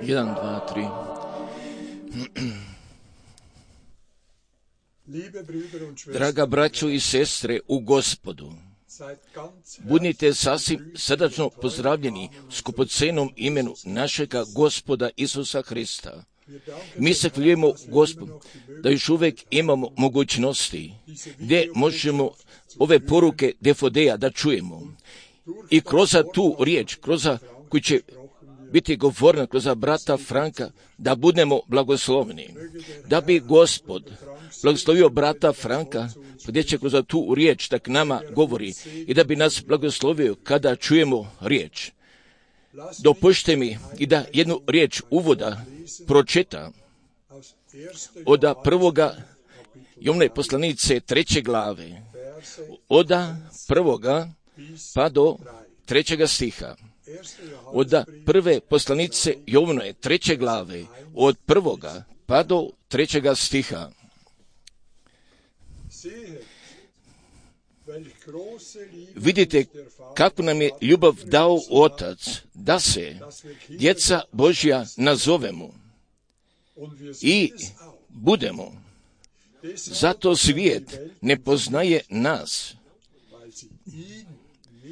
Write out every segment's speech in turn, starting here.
1, 2, 3. Draga braćo i sestre u Gospodu, budite sasvim srdačno pozdravljeni u skupocenom imenu našega Gospoda Isusa Hrista. Mi se hvaljujemo Gospodu da još uvijek imamo mogućnosti gdje možemo ove poruke Defodeja da čujemo. I kroz tu riječ, kroz koju će biti govorena kroz brata Franka, da budemo blagoslovni. Da bi Gospod blagoslovio brata Franka, gdje će kroz tu riječ tak nama govori i da bi nas blagoslovio kada čujemo riječ. Dopušte mi i da jednu riječ uvoda pročita od prvoga Jovnove poslanice 3. glave, od 1. pa do 3. stiha. Od prve poslanice Jovnove 3. glave, od 1. pa do 3. stiha. Vidite kako nam je ljubav dao Otac, da se djeca Božja nazovemo i budemo. Zato svijet ne poznaje nas,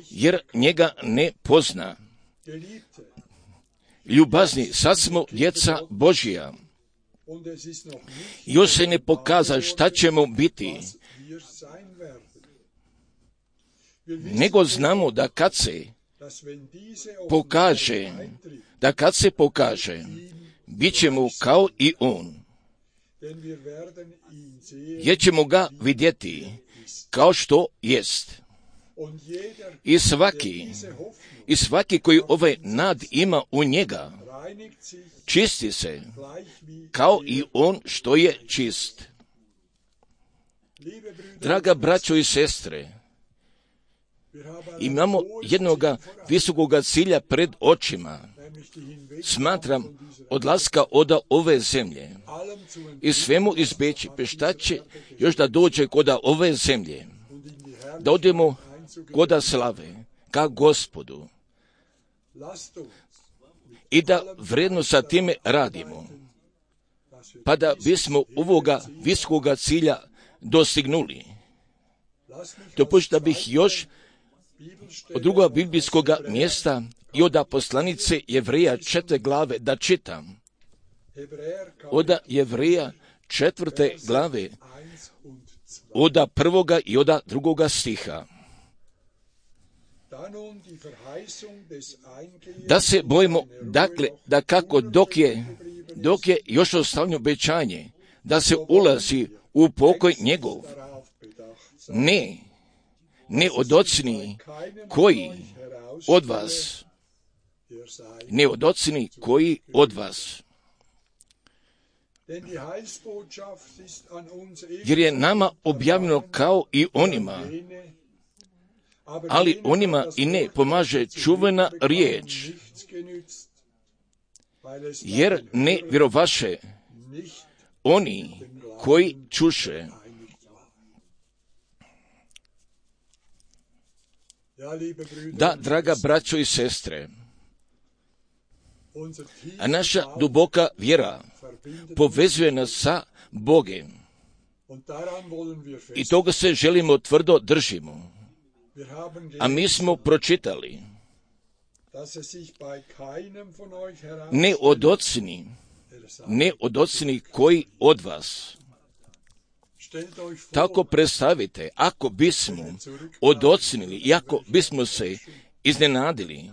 jer njega ne pozna. Ljubazni, sad smo djeca Božja. Još se ne pokaza šta ćemo biti, nego znamo da kad se pokaže, bit ćemo kao i on, jer ćemo ga vidjeti kao što jest. I svaki koji ovaj nad ima u njega, čisti se kao i on što je čist. Draga braćo i sestre, imamo jednoga visokoga cilja pred očima. Smatram odlaska od ove zemlje i svemu izbeći, šta će još da dođe kod ove zemlje, da odemo kod slave ka Gospodu i da vredno sa time radimo, pa da bismo ovoga visokoga cilja dostignuli. Dopušta bih još od drugog biblijskog mjesta i od poslanice Jevreja 4. glave da čitam. Od Jevreja 4. glave, od 1. i od 2. stiha. Da se bojimo, dakle, da kako dok je još ostavljeno obećanje, da se ulazi u pokoj njegov, ne odocni koji od vas, jer je nama objavljeno kao i onima, ali onima i ne pomaže čuvena riječ, jer ne vjerovaše oni koji čuše. Da, draga braćo i sestre, a naša duboka vjera povezuje nas sa Bogem i toga se želimo tvrdo držimo. A mi smo pročitali, ne odocni koji od vas. Tako predstavite, ako bismo odocnili i ako bismo se iznenadili,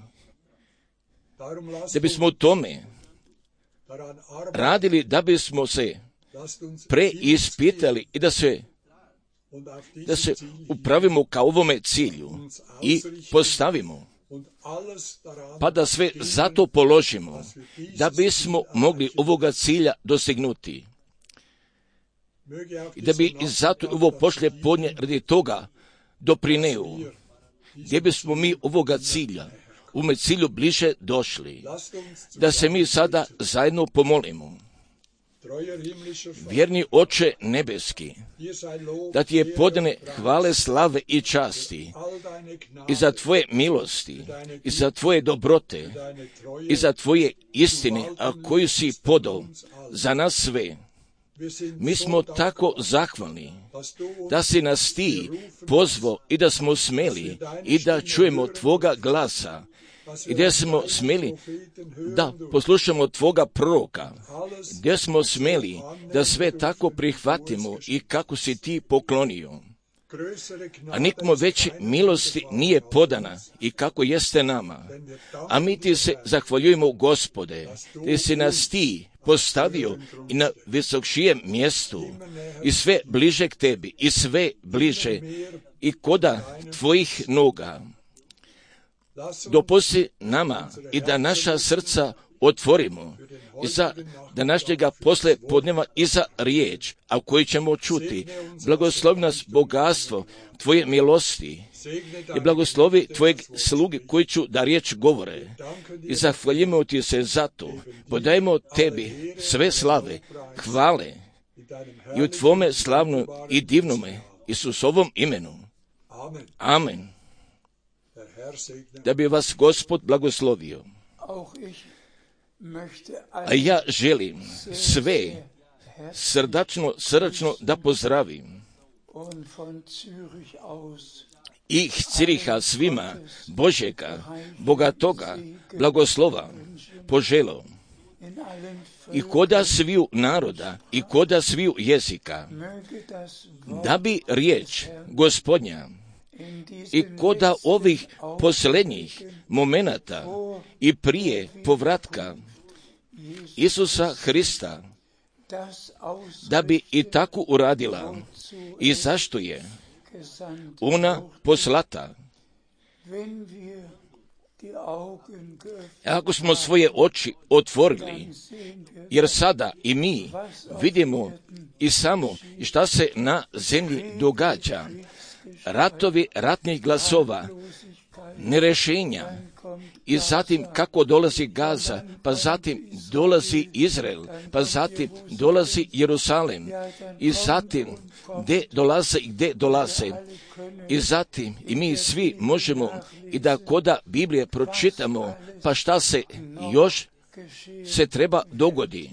da bismo u tome radili, da bismo se preispitali i da se upravimo ka ovome cilju i postavimo, pa da sve zato položimo, da bismo mogli ovoga cilja dosegnuti. I da bi i zato ovo pošlje podne radi toga doprineo, gdje bismo mi ovoga cilja, ovome cilju bliže došli, da se mi sada zajedno pomolimo. Vjerni Oče nebeski, da ti je podane hvale, slave i časti i za tvoje milosti, i za tvoje dobrote, i za tvoje istine, a koju si podao za nas sve. Mi smo tako zahvalni da si nas ti pozvao i da smo smeli i da čujemo tvoga glasa i da smo smeli da poslušamo tvoga proroka, gdje smo smeli da sve tako prihvatimo i kako si ti poklonio. A nikmo veće milosti nije podana i kako jeste nama. A mi ti se zahvaljujemo, Gospode, da si nas ti postavio i na visokšijem mjestu i sve bliže k tebi i sve bliže i koda tvojih noga. Dopusti nama i da naša srca otvorimo i za današnjega posle podneva i za riječ, a u kojoj ćemo čuti. Blagoslovi nas bogatstvo tvoje milosti i blagoslovi tvojeg sluge koji ću da riječ govore. I zahvaljujemo ti se za to. Podajemo tebi sve slave, hvale i u tvome slavnom i divnome Isusovom imenu. Amen. Da bi vas Gospod blagoslovio. A ja želim sve srdačno da pozdravim. I Ciriha svima Božjega, bogatoga blagoslova poželo. I koda sviju naroda i koda sviju jezika, da bi riječ Gospodnja i koda ovih posljednjih momenata i prije povratka Isusa Hrista, da bi i tako uradila i zašto je ona poslata. Ako smo svoje oči otvorili, jer sada i mi vidimo i samo šta se na zemlji događa, ratovi ratnih glasova, nerešenja, i zatim kako dolazi Gaza, pa zatim dolazi Izrael, pa zatim dolazi Jerusalem, i zatim gdje dolaze, i zatim i mi svi možemo i da koda Biblije pročitamo, pa šta se još se treba dogodi.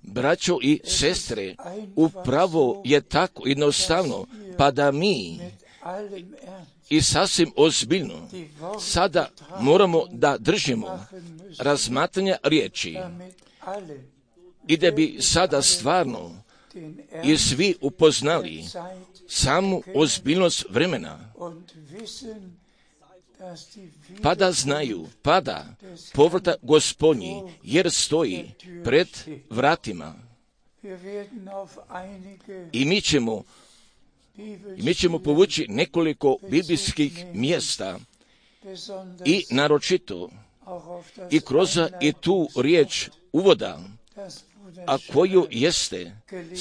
Braćo i sestre, upravo je tako jednostavno, pa da mi i sasvim ozbiljno sada moramo da držimo razmatranja riječi i da bi sada stvarno i svi upoznali samu ozbiljnost vremena, pa da znaju, pa da povrata Gospodnji, jer stoji pred vratima. I mi ćemo povući nekoliko biblijskih mjesta i naročito i kroz i tu riječ uvoda, a koju jeste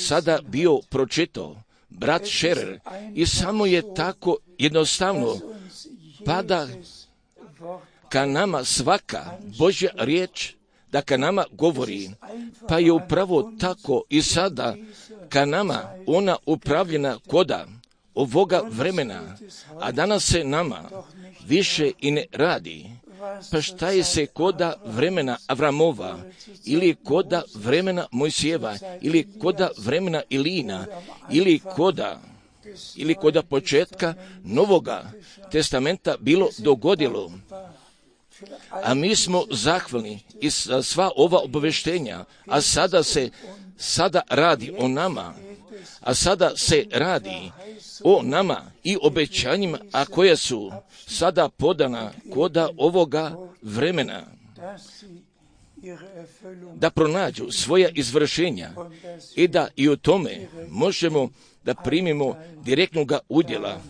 sada bio pročitao brat Scherer, i samo je tako jednostavno pada ka nama svaka Božja riječ, da ka nama govori, pa je upravo tako i sada ka nama ona upravljena koda ovoga vremena, a danas se nama više i ne radi. Pa šta je se koda vremena Avramova, ili koda vremena Mojsijeva, ili koda vremena Ilina, ili koda početka Novoga testamenta bilo dogodilo. A mi smo zahvalni i za sva ova obaveštenja, a sada radi o nama, a sada se radi o nama i obećanjima, a koja su sada podana koda ovoga vremena, da pronađu svoja izvršenja i da i o tome možemo da primimo direktnog udjela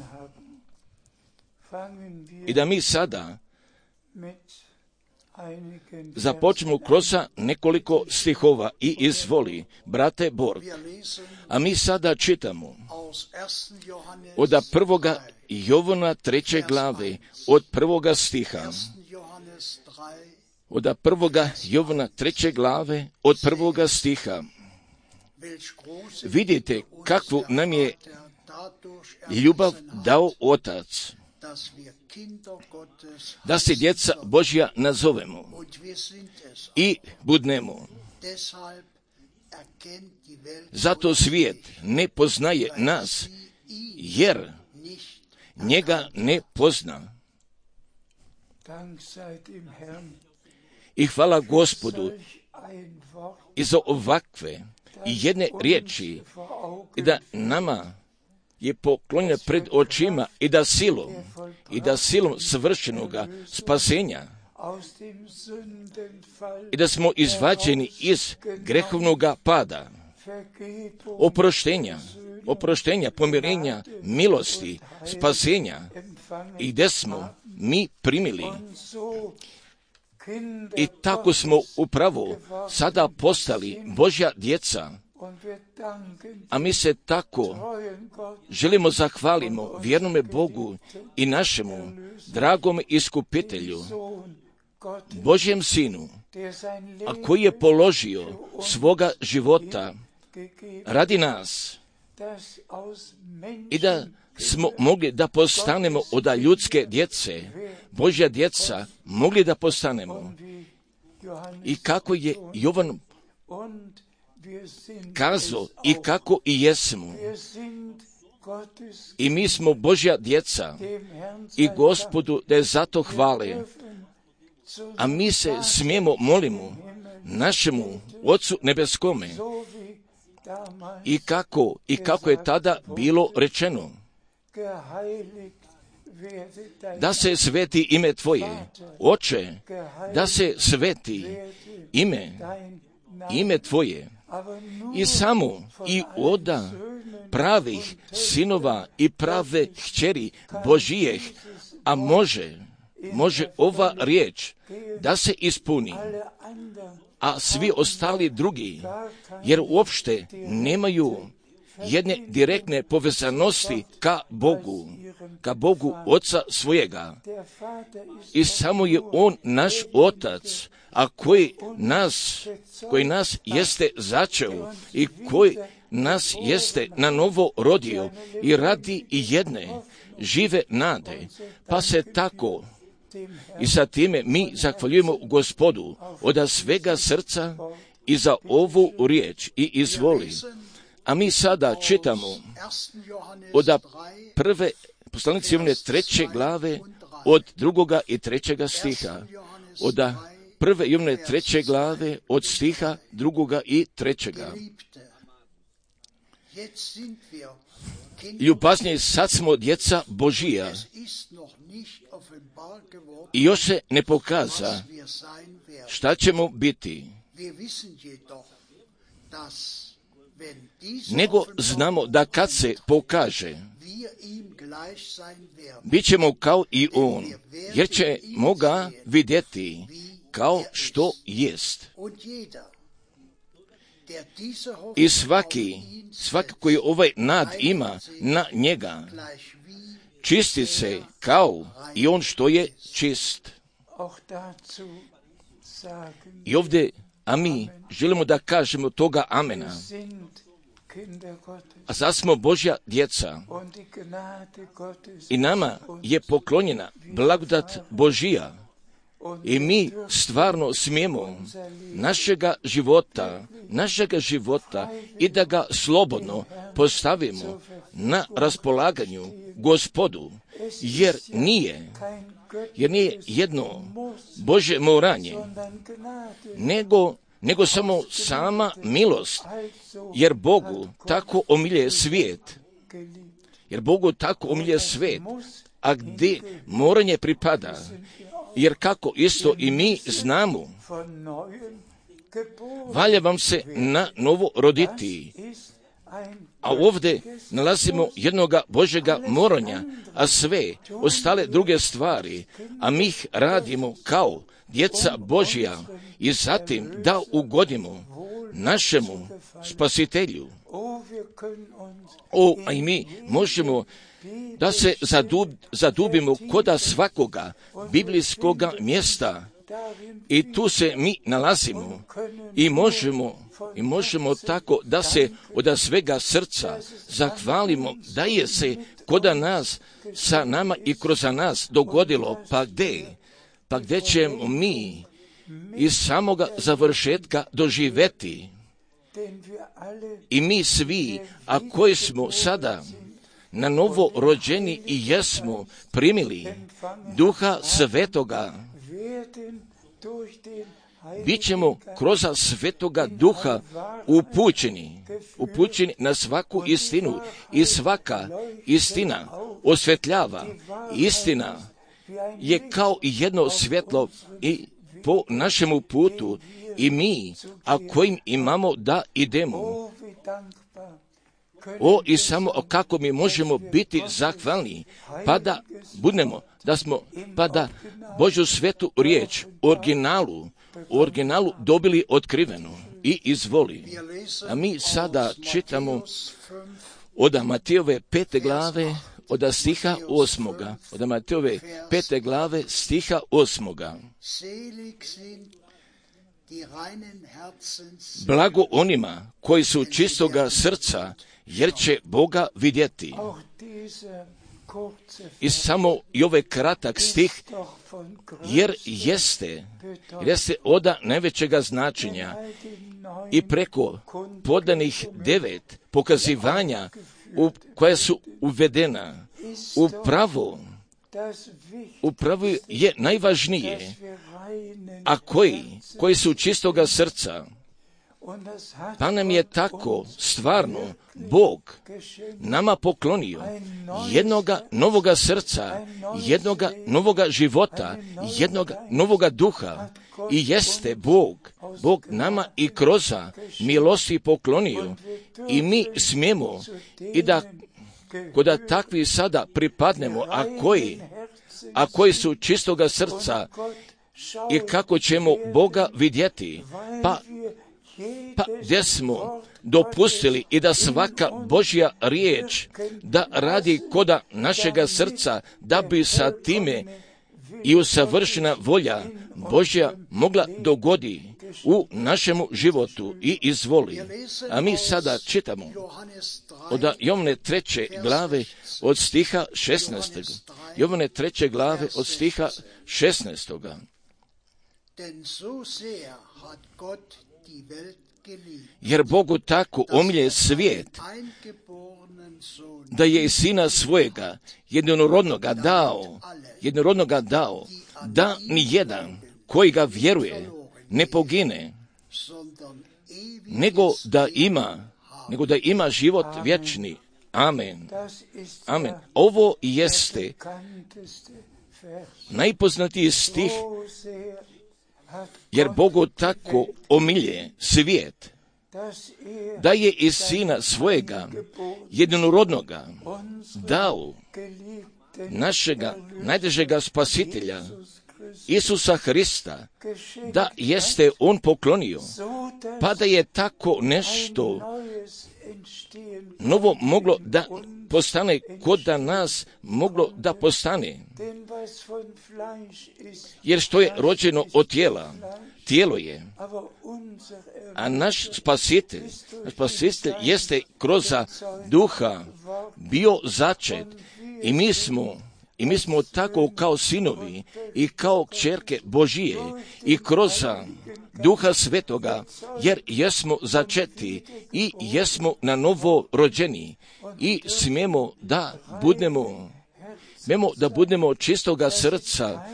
i da mi sada započnemo kroz nekoliko stihova i izvoli, brate Borg. A mi sada čitamo od 1. Jovana 3. glave, od 1. stiha. od 1. Jovana 3. glave, od 1. stiha. Vidite kakvu nam je ljubav dao Otac, da se djeca Božja nazovemo i budnemo. Zato svijet ne poznaje nas, jer njega ne pozna. I hvala Gospodu i za ovakve i jedne riječi, i da nama je poklonjena pred očima i da silom svršenoga spasenja i da smo izvađeni iz grehovnoga pada, oproštenja, pomirenja, milosti, spasenja, i gdje smo mi primili. I tako smo upravo sada postali Božja djeca, a mi se tako želimo zahvalimo vjernome Bogu i našemu dragom iskupitelju, Božjem Sinu, a koji je položio svoga života radi nas, i da smo mogli da postanemo od ljudske djece, Božja djeca, mogli da postanemo. I kako je Jovan kazao, i kako i jesmo. I mi smo Božja djeca i Gospodu da je zato hvale. A mi se smijemo molimo našemu Otcu nebeskome, i kako je tada bilo rečeno, da se sveti ime Tvoje, Oče, da se sveti ime Tvoje, i samo i od pravih sinova i prave kćeri Božijeh, a može ova riječ da se ispuni, a svi ostali drugi, jer uopšte nemaju jedne direktne povezanosti ka Bogu Oca svojega. I samo je On naš Otac, a koji nas jeste začeo i koji nas jeste na novo rodio i radi i jedne žive nade, pa se tako i sa time mi zahvaljujemo Gospodu od svega srca i za ovu riječ i izvoli. A mi sada čitamo od prve poslanice Jovane 3. glave od 2. i 3. stiha. Od prve Jovane 3. glave od stiha 2. i 3. Ljubaznije, sad smo djeca Božija i još se ne pokaza šta ćemo biti. Nego znamo da kad se pokaže, bit ćemo kao i On, jer ćemo ga vidjeti kao što jest. I svaki koji ovaj nad ima na njega, čisti se kao i on što je čist. I ovdje, a mi želimo da kažemo toga amena. A sad smo Božja djeca i nama je poklonjena blagodat Božija. I mi stvarno smijemo našega života i da ga slobodno postavimo na raspolaganju Gospodu, jer nije jedno Božje moranje, nego samo sama milost, jer Bogu tako omilje svijet, a gdje moranje pripada, jer kako isto i mi znamo, valja vam se na novo roditi. A ovdje nalazimo jednoga Božjega moranja, a sve ostale druge stvari, a mi ih radimo kao djeca Božja i zatim da ugodimo našemu Spasitelju. A i mi možemo da se zadubimo koda svakoga biblijskoga mjesta I tu se mi nalazimo i možemo tako da se od svega srca zahvalimo da je se kod nas sa nama i kroz nas dogodilo. Pa gdje ćemo mi iz samoga završetka doživjeti? I mi svi, a koji smo sada na novo rođeni i jesmo primili Duha Svetoga, bit ćemo kroz Svetoga Duha upućeni na svaku istinu i svaka istina osvetljava. Istina je kao jedno svjetlo i po našemu putu i mi, a kojim imamo da idemo. I samo kako mi možemo biti zahvalni, pa da Božju svetu riječ u originalu dobili otkrivenu i izvoli. A mi sada čitamo od Matejove 5. glave, od stiha 8. Od Matejove 5. glave, stiha 8. Blago onima koji su čistoga srca, jer će Boga vidjeti. I samo i ovaj kratak stih, jer jeste od najvećega značenja i preko podanih 9 pokazivanja koja su uvedena upravo je najvažnije, a koji su čistoga srca. Pa nam je tako stvarno Bog nama poklonio jednoga novoga srca, jednoga novoga života, jednoga novoga duha. I jeste Bog nama i kroz milosti poklonio. I mi smijemo i da kod takvi sada pripadnemo, a koji su čistoga srca, i kako ćemo Boga vidjeti. Pa gdje smo dopustili i da svaka Božja riječ da radi koda našega srca, da bi sa time i usavršena volja Božja mogla dogodi u našemu životu i izvoli. A mi sada čitamo od Jovane 3. glave od stiha 16. Jovane 3. glave od stiha 16. Jer Bogu tako omilje svijet, da je i Sina svojega jednorodnoga dao, da ni jedan koji ga vjeruje ne pogine, nego da ima život vječni. Amen. Amen. Ovo jeste najpoznatiji stih, jer Bogu tako omilje svijet, da je iz Sina svojega jednorodnoga dao, našega najdražega spasitelja Isusa Hrista, da jeste on poklonio, pa da je tako nešto novo moglo da postane, kod da nas moglo da postane. Jer što je rođeno od tijela, tijelo je, a naš spasitelj jeste kroz duha bio začet, i mi smo tako kao sinovi i kao kćerke Božije i kroz Duha Svetoga, jer jesmo začeti i jesmo na novo rođeni i smijemo da budemo čistoga srca.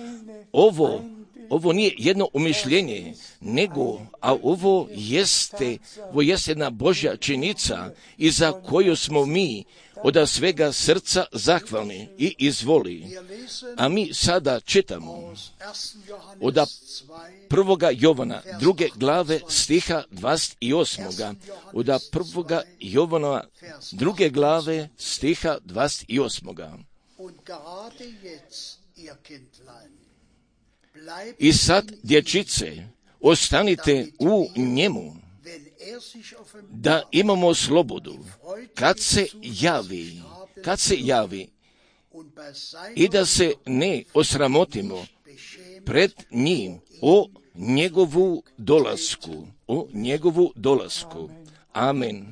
Ovo nije jedno umišljenje, a ovo jeste jedna Božja činjenica i za koju smo mi od svega srca zahvalni i izvoli. A mi sada čitamo od 1. Jovana 2. glave stiha 28. Od 1. Jovana 2. glave stiha 28. I sad, dječice, ostanite u njemu, da imamo slobodu kad se javi, i da se ne osramotimo pred njim o njegovu dolasku. Amen.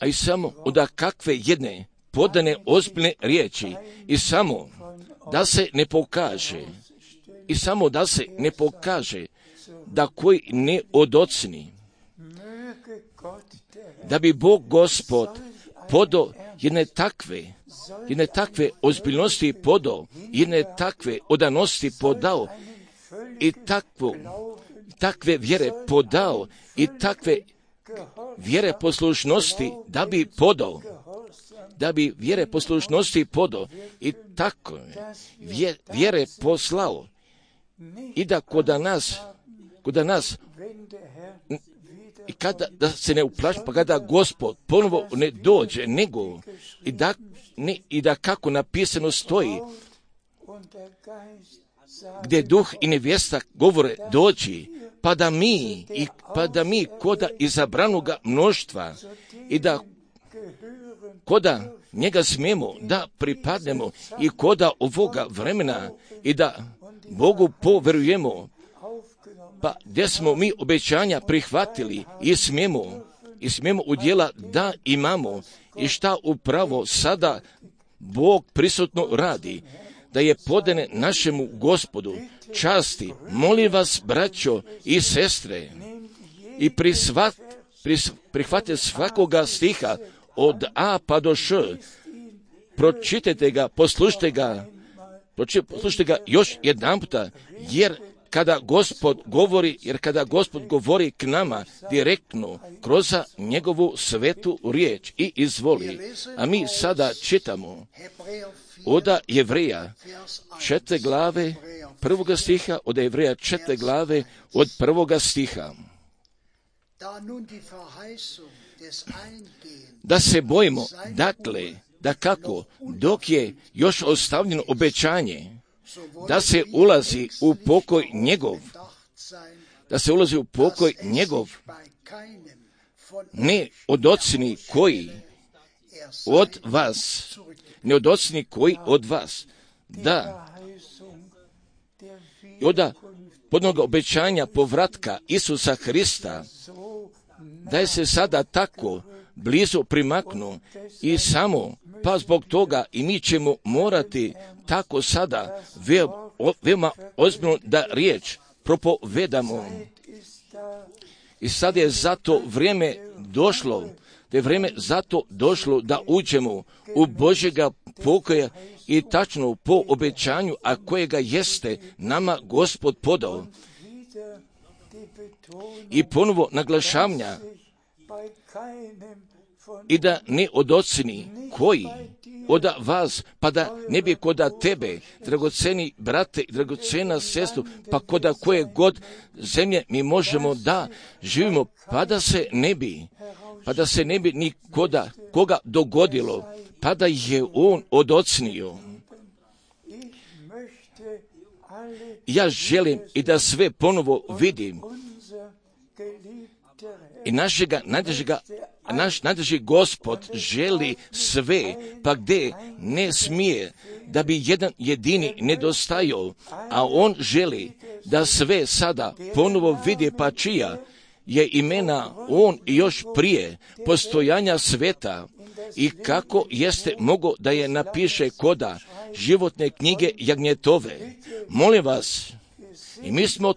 A i samo onda kakve jedne podane ozbiljne riječi i samo da se ne pokaže, da koji ne odocni, da bi Bog Gospod podao jedne takve ozbiljnosti podao, jedne takve odanosti podao i takve vjere podao i takve vjere poslušnosti da bi vjere poslušnosti podao i tako vjere poslao i da kod nas i kada da se ne uplaši, pa kada Gospod ponovo ne dođe, nego i da kako napisano stoji, gdje duh i nevjesta govore dođi, pa da mi koda izabranoga mnoštva i da koda njega smijemo da pripadnemo i koda ovoga vremena i da Bogu poverujemo, pa gdje smo mi obećanja prihvatili i smijemo udjela da imamo i šta upravo sada Bog prisutno radi, da je podane našemu Gospodu časti. Molim vas, braćo i sestre, i prihvate svakoga stiha od A pa do Š, pročitajte ga, poslušajte ga još jedan puta, jer kada Gospod govori k nama direktno kroz njegovu svetu riječ i izvoli. A mi sada čitamo od Jevreja 4. glave 1. stiha, od Jevreja 4. glave od 1. stiha. Da se bojimo, dakle, da kako, dok je još ostavljeno obećanje, da se ulazi u pokoj njegov, ne odocni koji od vas, da i od podnoga obećanja povratka Isusa Hrista, da je se sada tako blizu primaknu i samo, pa zbog toga i mi ćemo morati tako sada veoma ozbiljno da riječ propovedamo. I sad je zato vrijeme došlo da uđemo u Božjega pokoja i tačno po obećanju, a kojega jeste nama Gospod podao. I ponovo naglašavanja i da ne odocni koji od vas, pa da ne bi koda tebe, dragoceni brate i dragocena sestru, pa koda koje god zemlje mi možemo da živimo, pa da se ne bi ni koga dogodilo, pa da je on odocnio. Ja želim i da sve ponovo vidim i naš najdraži Gospod želi sve, pa gdje ne smije da bi jedan jedini nedostajao, a on želi da sve sada ponovo vidi, pa čija je imena on još prije postojanja sveta i kako jeste mogo da je napiše koda životne knjige jagnjetove. Molim vas, i mi smo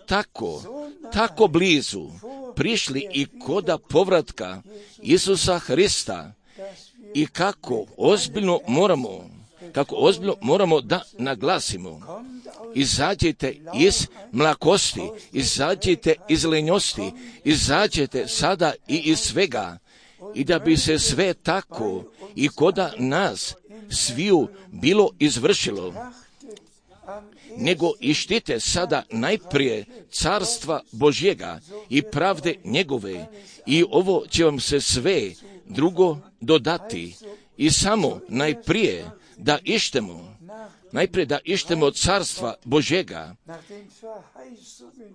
tako blizu prišli i koda povratka Isusa Hrista i kako ozbiljno moramo da naglasimo. Izađite iz mlakosti, izađite iz lenjosti, izađite sada i iz svega i da bi se sve tako i koda nas sviju bilo izvršilo. Nego ištite sada najprije carstva Božjega i pravde njegove i ovo će vam se sve drugo dodati. I samo najprije da ištemo carstva Božjega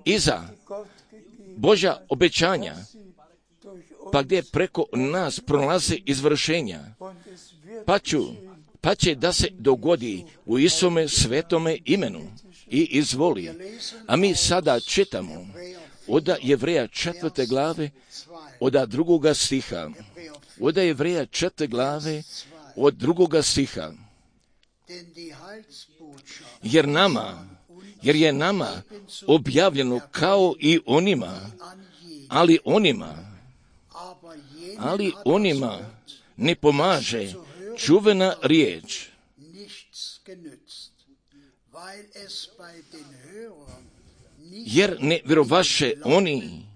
iza Božja obećanja, pa gdje preko nas prolaze izvršenja, pa će da se dogodi u Isome svetome imenu i izvoli. A mi sada čitamo od Jevreja 4. glave, od 2. stiha. Od Jevreja 4. glave, od 2. stiha. Jer je nama objavljeno kao i onima, ali onima ne pomaže čuvena riječ, jer ne vjerovaše oni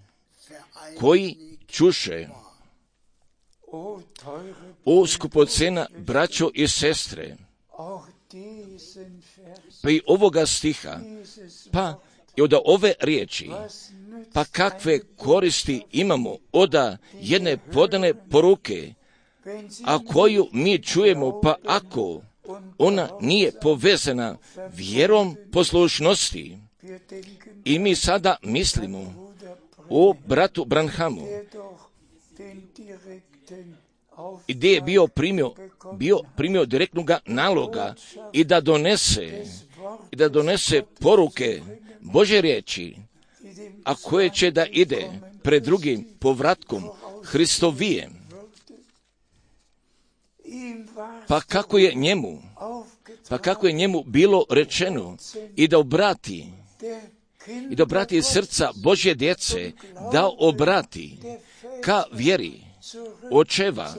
koji čuše. O skupocena, braćo i sestre, pa i ovoga stiha, pa i od ove riječi, pa kakve koristi imamo od jedne podane poruke, a koju mi čujemo, pa ako ona nije povezana vjerom poslušnosti. I mi sada mislimo o bratu Branhamu, gdje je bio primio direktnog naloga i da donese poruke Božje riječi, a koje će da ide pred drugim povratkom Hristovijem. Pa kako je njemu bilo rečeno i da obrati srca Božje djece, da obrati ka vjeri očeva.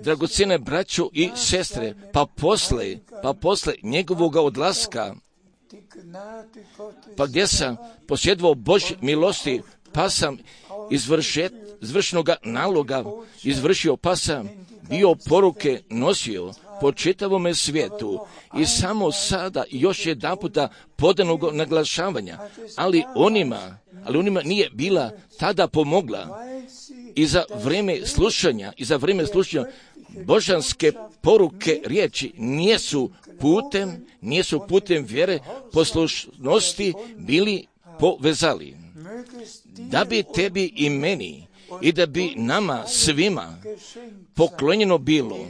Dragocjene braćo i sestre, pa posle njegovog odlaska, pa gdje sam posjedovao Božje milosti, pa sam izvršnoga naloga izvršio, pa sam bio poruke nosio po čitavome svijetu i samo sada još jedanputa podanog naglašavanja, ali onima nije bila tada pomogla i za vrijeme slušanja božanske poruke riječi nisu putem vjere poslušnosti bili povezali. Da bi tebi i meni i da bi nama svima poklonjeno bilo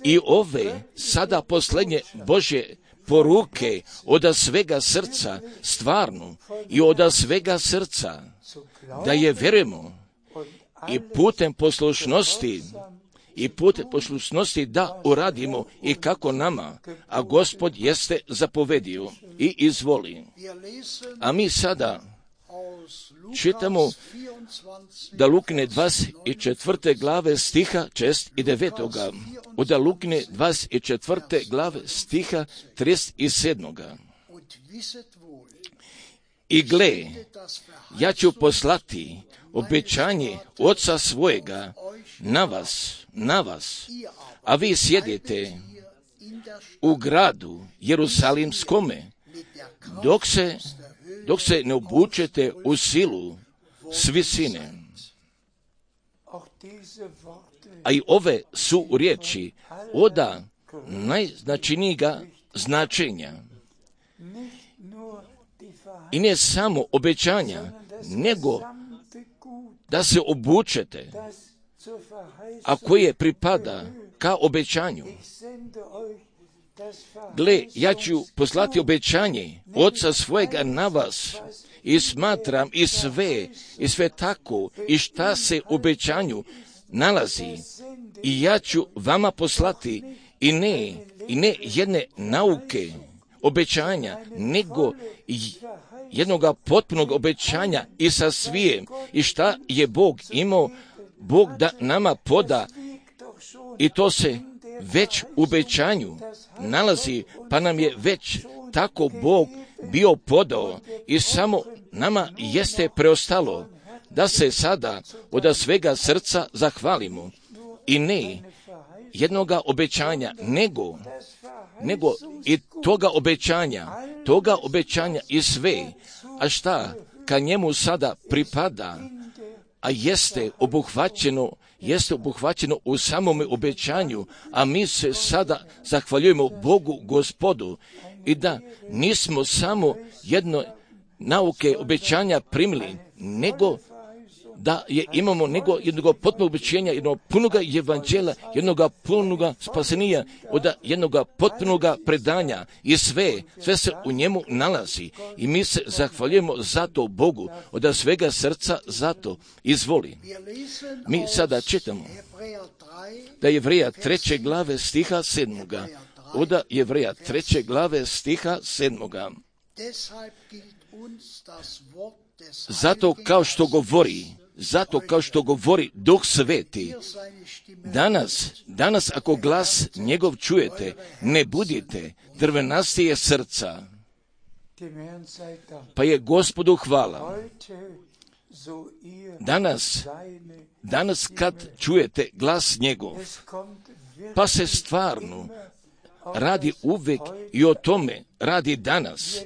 i ove sada posljednje Božje poruke od svega srca, stvarno i od svega srca, da je vjerujemo i putem poslušnosti da uradimo i kako nama, a Gospod jeste zapovedio i izvoli. A mi sada čitamo da Lukine 24. glave stiha 6 i 9. Od Lukine 24. glave stiha 37. I gle, ja ću poslati obećanje Oca svojega na vas, a vi sjedite u gradu Jerusalimskome, dok se ne obučete u silu s visine. A i ove su riječi od najznačajnijega značenja. I ne samo obećanja, nego da se obučete, a koje pripada ka obećanju. Gle, ja ću poslati obećanje Oca svojega na vas i smatram i sve tako i šta se u obećanju nalazi. I ja ću vama poslati i ne jedne nauke obećanja, nego jednoga potpunog obećanja i sa svijem i šta je Bog imao, Bog da nama poda i to se već u obećanju nalazi, pa nam je već tako Bog bio podao i samo nama jeste preostalo da se sada od svega srca zahvalimo i ne jednoga obećanja, nego i toga obećanja i sve, a šta ka njemu sada pripada, a jeste obuhvaćeno u samome obećanju, a mi se sada zahvaljujemo Bogu Gospodu i da nismo samo jedno nauke obećanja primili, da je imamo nego jednog potpunog obećenja, jednog punoga evanđela, jednog punoga spasenija, od jednog potpunog predanja i sve se u njemu nalazi. I mi se zahvaljujemo za to Bogu, od svega srca za to. Izvoli. Mi sada čitamo da Jevreja 3. glave stiha 7. Od Jevreja 3. glave stiha 7. Zato kao što govori Duh Sveti, danas ako glas njegov čujete, ne budite drvenastije srca. Pa je Gospodu hvala. Danas kad čujete glas njegov, pa se stvarno radi uvijek i o tome radi danas.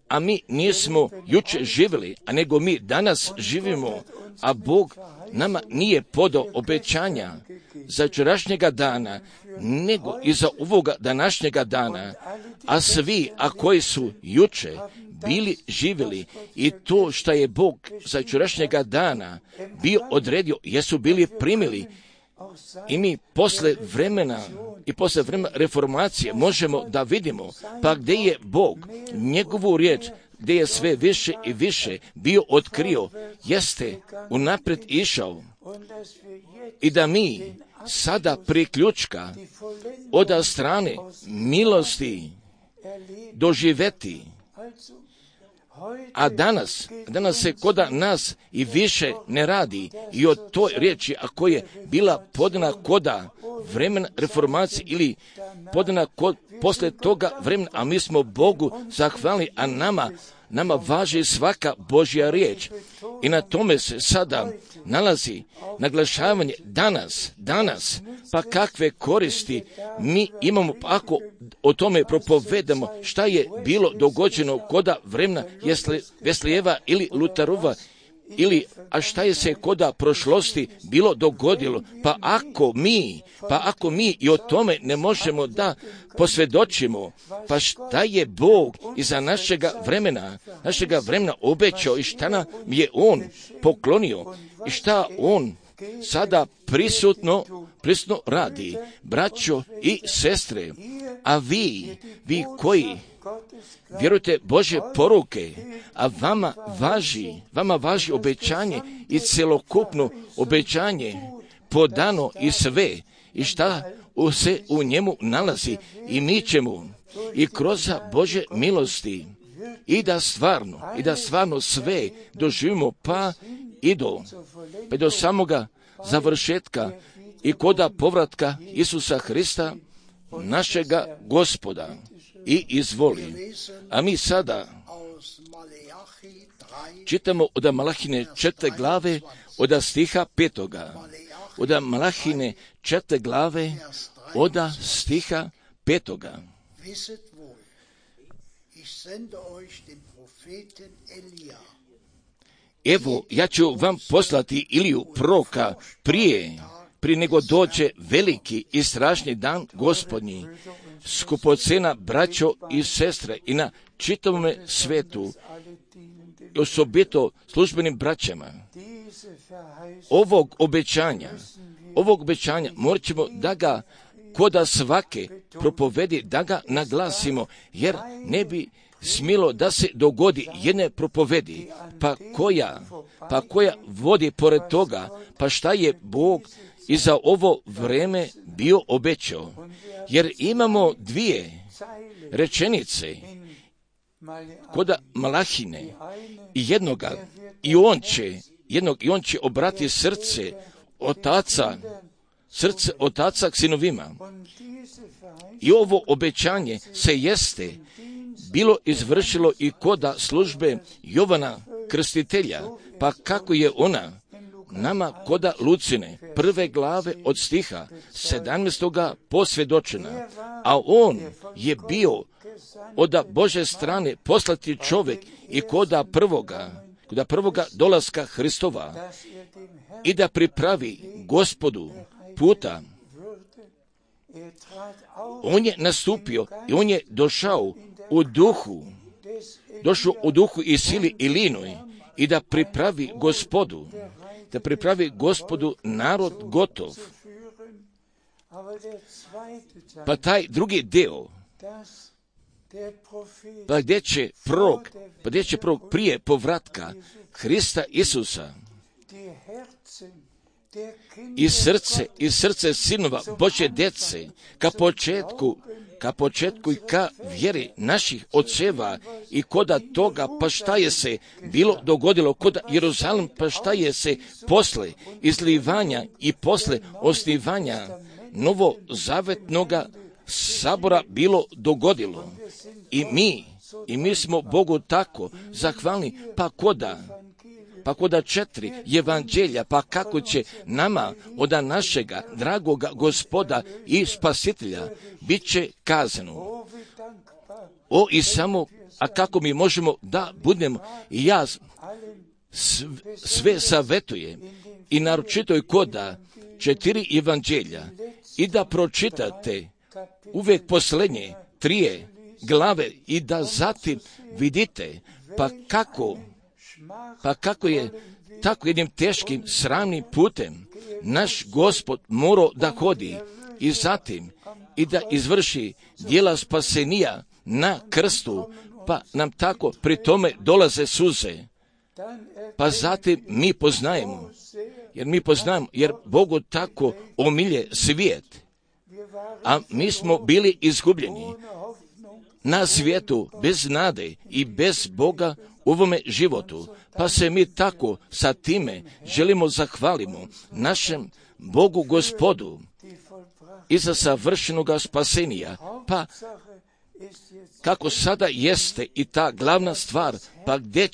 A mi nismo jučer živjeli, a nego mi danas živimo, a Bog nama nije podao obećanja za jučerašnjega dana, nego i za ovoga današnjega dana. A svi, a koji su jučer bili živjeli i to što je Bog za jučerašnjega dana bio odredio, jesu bili primili. I mi posle vremena reformacije možemo da vidimo, pa gdje je Bog njegovu riječ, gdje je sve više i više bio otkrio, jeste unaprijed išao. I da mi sada priključka od strane milosti doživeti. A danas se koda nas i više ne radi i o toj riječi, ako je bila podana koda vremena reformacije ili podana posle toga vremena, a mi smo Bogu zahvalni, a nama važi svaka Božja riječ. I na tome se sada nalazi naglašavanje danas, pa kakve koristi mi imamo ako o tome propovedamo šta je bilo dogođeno koda vremena Veslijeva ili Lutarova, a šta je se koda prošlosti bilo dogodilo, pa ako mi i o tome ne možemo da posvjedočimo, pa šta je Bog iza našega vremena obećao i šta nam je On poklonio i šta On sada prisutno radi, braćo i sestre. A vi koji vjerujte Božje poruke, a vama važi obećanje i celokupno obećanje podano i sve i šta se u njemu nalazi, i mi ćemo i kroz Božje milosti i da stvarno sve doživimo pa i do samoga završetka i koda povratka Isusa Hrista, našega Gospoda. I izvoli. A mi sada čitamo od Malahine 4. glave od stiha 5. Od Malahine 4. glave od stiha 5. Evo, ja ću vam poslati Iliju proroka prije nego dođe veliki i strašni dan Gospodnji. Skupocena braćo i sestre i na čitavom svetu, osobito službenim braćama, ovog obećanja morat ćemo da ga koda svake propovedi, da ga naglasimo, jer ne bi smilo da se dogodi jedne propovedi, pa koja vodi pored toga, pa šta je Bog i za ovo vreme bio obećao. Jer imamo dvije rečenice koda Malahine i jednoga, i on će obrati srce otaca k sinovima. I ovo obećanje se jeste bilo izvršilo i koda službe Jovana Krstitelja, pa kako je ona nama koda Lucine 1. glave od stiha 17. posvjedočena, a on je bio od Bože strane poslati čovjek i koda prvoga dolaska Hristova i da pripravi Gospodu puta. On je nastupio i on je došao u duhu i sili i linoj i da pripravi Gospodu narod gotov. Pa taj drugi deo, pa gdje će prorok prije povratka Hrista Isusa i srce sinova Božje djece ka početku i ka vjeri naših oceva i koda toga, pa šta je se bilo dogodilo kod Jeruzalem, pa šta je se posle izlivanja i posle osnivanja novozavetnoga sabora bilo dogodilo. I mi smo Bogu tako zahvalni, pa koda 4 evanđelja, pa kako će nama od našega dragoga Gospoda i Spasitelja bit će kazano. I samo, a kako mi možemo da budemo, i ja sve savjetujem i naročito i koda 4 evanđelja i da pročitate uvijek posljednje 3 glave i da zatim vidite pa kako je tako jednim teškim sramnim putem naš Gospod morao da hodi i zatim i da izvrši djela spasenija na krstu, pa nam tako pri tome dolaze suze. Pa zatim mi poznajemo, jer Bogu tako omilje svijet, a mi smo bili izgubljeni na svijetu bez nade i bez Boga u ovome životu, pa se mi tako sa time želimo zahvalimo našem Bogu Gospodu i za savršenoga spasenija, pa kako sada jeste i ta glavna stvar, pa gdje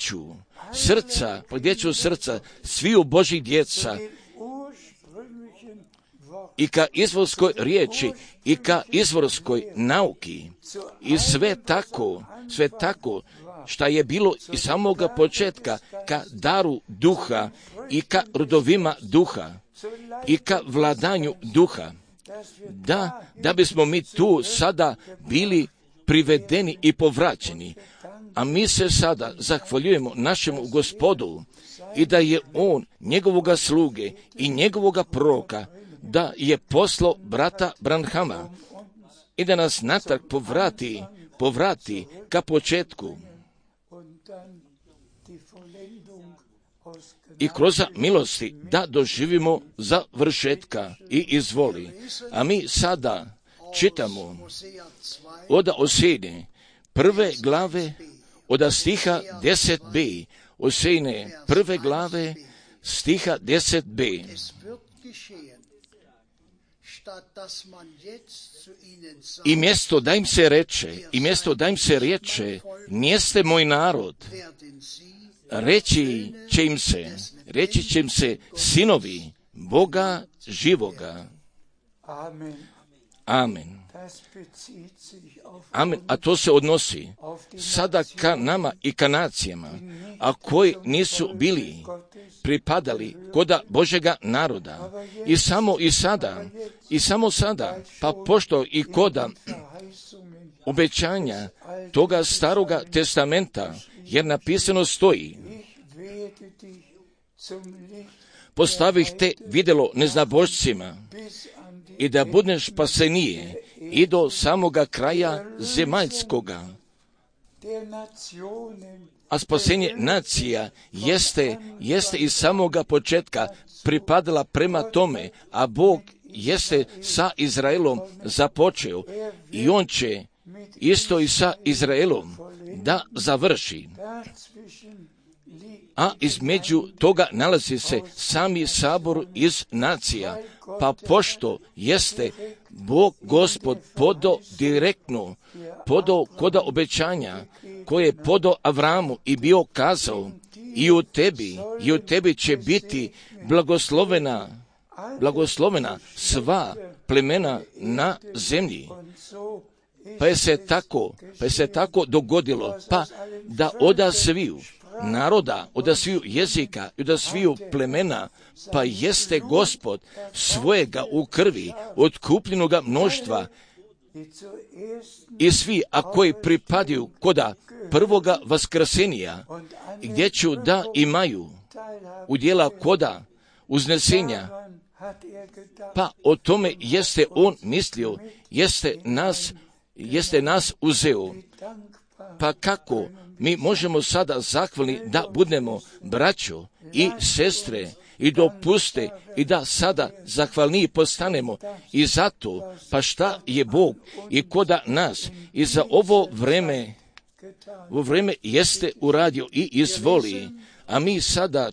ću srca sviju Božih djeca i ka izvorskoj riječi i ka izvorskoj nauki i sve tako šta je bilo iz samoga početka ka daru duha i ka rodovima duha i ka vladanju duha, da bismo mi tu sada bili privedeni i povraćeni. A mi se sada zahvaljujemo našemu Gospodu i da je on njegovoga sluge i njegovoga proroka da je poslao brata Branhama i da nas natrag povrati ka početku i kroz milosti da doživimo završetka i izvoli. A mi sada čitamo od Osejne 1. glave od stiha 10b, Osejne 1. glave stiha 10b. I mjesto da im se reče, nijeste moj narod, reći će im se sinovi Boga živoga. Amen. Amen. A to se odnosi sada ka nama i ka nacijama, a koji nisu bili pripadali koda Božega naroda. I samo sada, pa pošto i koda obećanja toga staroga testamenta, jer napisano stoji, postavih te vidjelo neznabošcima i da budeš spasenije i do samoga kraja zemaljskoga. A spasenje nacija jeste iz samoga početka pripadala prema tome, a Bog jeste sa Izraelom započeo i on će isto i sa Izraelom da završi. A između toga nalazi se sami sabor iz nacija, pa pošto jeste Bog Gospod direktno podao koda obećanja koje je podao Avramu i bio kazao i u tebi će biti blagoslovena sva plemena na zemlji. Pa je se tako dogodilo, pa da oda sviju naroda, oda sviju jezika i oda sviju plemena, pa jeste Gospod svojega u krvi otkupljenoga mnoštva i svi, a koji pripadaju koda prvoga vaskrsenja, gdje ću da imaju udjela koda uznesenja, pa o tome jeste on mislio, jeste nas uzeo. Pa kako mi možemo sada zahvalni da budemo braćo i sestre i dopuste i da sada zahvalniji postanemo i zato, pa šta je Bog i koda nas i za ovo vreme jeste uradio i izvoli. A mi sada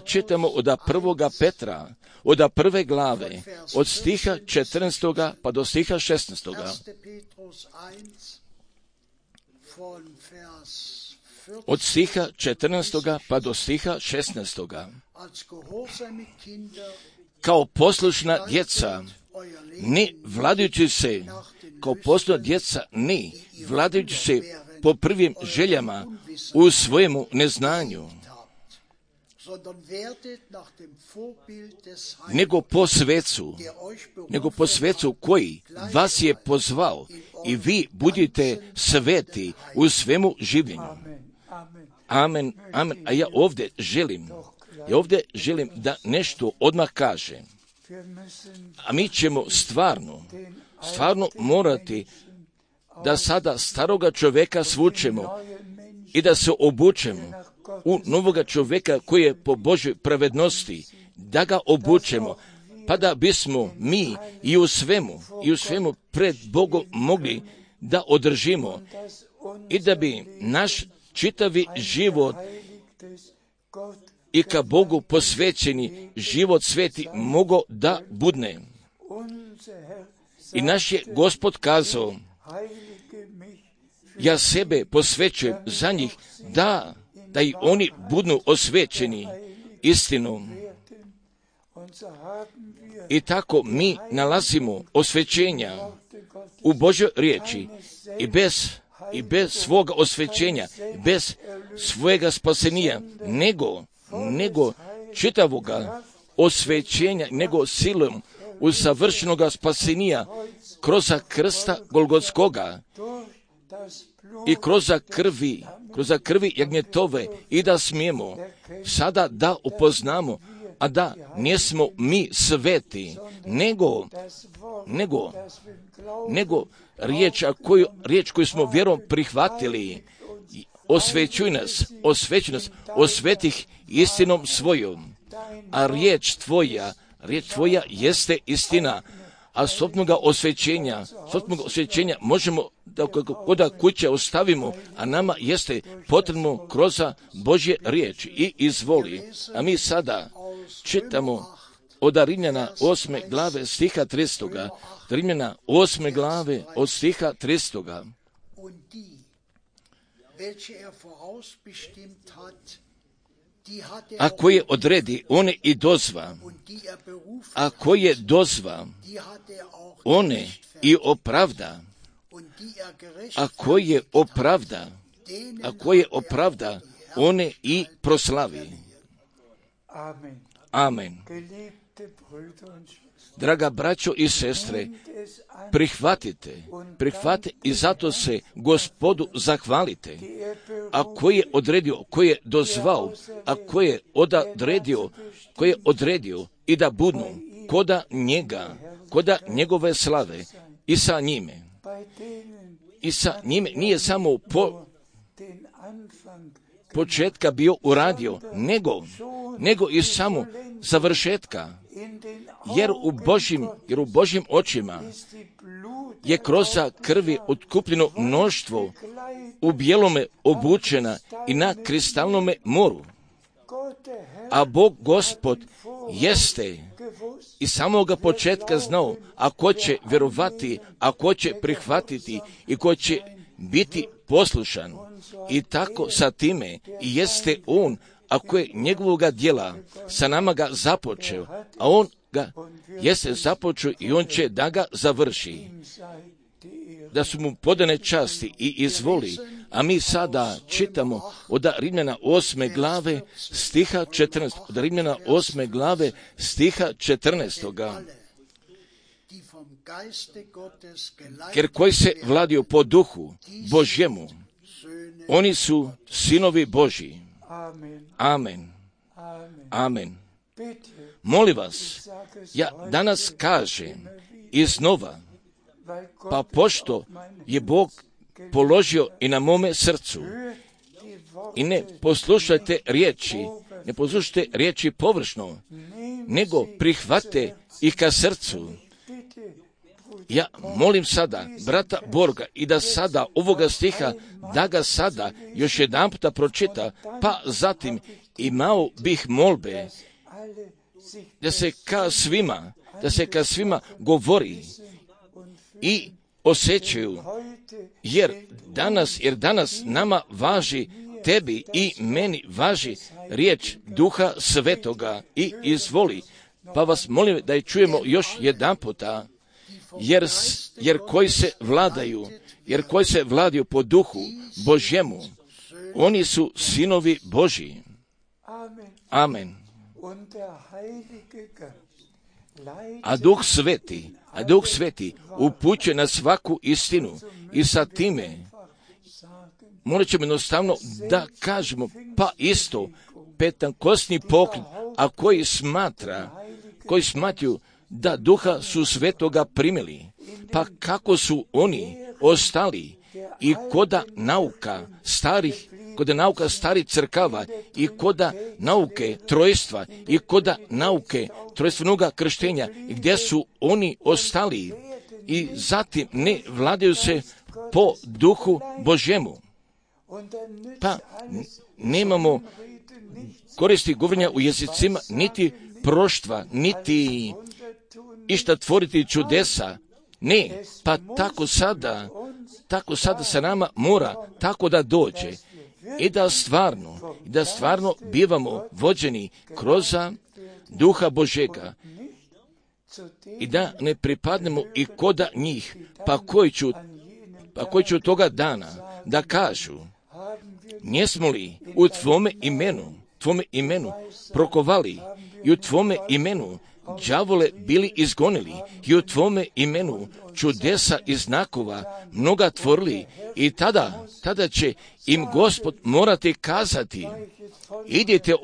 čitamo od 1. Petra, od 1. glave, od stiha 14. pa do stiha 16. Od stiha 14. pa do stiha 16. Kao poslušna djeca, ni vladajući se, po prvim željama u svojemu neznanju, nego po svecu koji vas je pozvao i vi budite sveti u svemu življenju. Amen, amen. A ja ovdje želim da nešto odmah kažem. A mi ćemo stvarno morati da sada staroga čovjeka svučemo i da se obučemo u novoga čovjeka koji je po Božoj pravednosti, da ga obučemo, pa da bismo mi i u svemu pred Bogom mogli da održimo i da bi naš čitavi život i ka Bogu posvećeni život sveti mogao da budne. I naš je Gospod kazao, ja sebe posvećujem za njih, da i oni budu osvećeni istinom. I tako mi nalazimo osvećenja u Božoj riječi i bez svoga osvećenja, bez svojega spasenija, nego čitavoga osvećenja, nego silom usavršenoga spasenija kroz krsta Golgotskoga i kroz krvi jagnjetove, i da smijemo sada da upoznamo, a da nismo mi sveti, nego riječ koju smo vjerom prihvatili, osvećuj nas, osvetih istinom svojom, a riječ tvoja jeste istina, a sobnoga osvećenja možemo da koda kuće ostavimo, a nama jeste potrebno kroz Božje riječi i izvoli. A mi sada čitamo od Rimljana 8. glave stiha 300. Rimljana 8. glave od stiha 300. A koje odredi, one i dozva. A koje dozva, one i opravda. A koje opravda, one i proslavi. Amen. Draga braćo i sestre, prihvatite i zato se Gospodu zahvalite. A koji je odredio, koji je dozvao, a koji je odredio i da budu koda njega, koda njegove slave i sa njime nije samo početka bio uradio, nego i samo završetka. Jer u Božjim očima je kroz krvi otkupljeno mnoštvo u bijelome obučena i na kristalnome moru. A Bog Gospod jeste i samoga početka znao, a ko će vjerovati, a ko će prihvatiti i ko će biti poslušan. I tako sa time i jeste on, ako je njegovoga djela sa nama ga započeo, a on ga jeste započeo i on će da ga završi. Da su mu podane časti i izvoli. A mi sada čitamo od Rimljana 8. glave stiha 14. Od Rimljana 8. glave stiha 14. jer koji se vladaju po duhu Božjemu, oni su sinovi Božji. Amen. Amen. Molim vas, ja danas kažem iznova, pa pošto je Bog položio i na mome srcu, i ne poslušajte riječi površno, nego prihvate ih ka srcu. Ja molim sada brata Borga i da sada ovoga stiha, da ga sada još jedan puta pročita, pa zatim imao bih molbe da se ka svima govori i osjećaju, jer danas nama važi, tebi i meni važi riječ Duha Svetoga i izvoli. Pa vas molim da je čujemo još jedan puta, jer koji se vladaju po duhu Božjemu, oni su sinovi Božji. Amen. A Duh Sveti upućuje na svaku istinu i sa time morat ćemo jednostavno da kažemo, pa isto pentankostni pokret, a koji smatraju da Duha su Svetoga primili, pa kako su oni ostali i koda nauka starih crkava i koda nauke trojstva i koda nauke trojstvenoga krštenja, gdje su oni ostali i zatim ne vladaju se po duhu Božjemu. Pa nemamo koristi govorenja u jezicima, niti proštva, niti išta tvoriti čudesa. Ne, pa tako sada se nama mora tako da dođe i da stvarno bivamo vođeni kroz Duha Božjega i da ne pripadnemo i koda njih, pa koji ću toga dana da kažu, njesmo li u tvome imenu prokovali i u tvome imenu đavole bili izgonili i u tvome imenu čudesa i znakova mnoga tvorili, i tada će im Gospod morati kazati, idite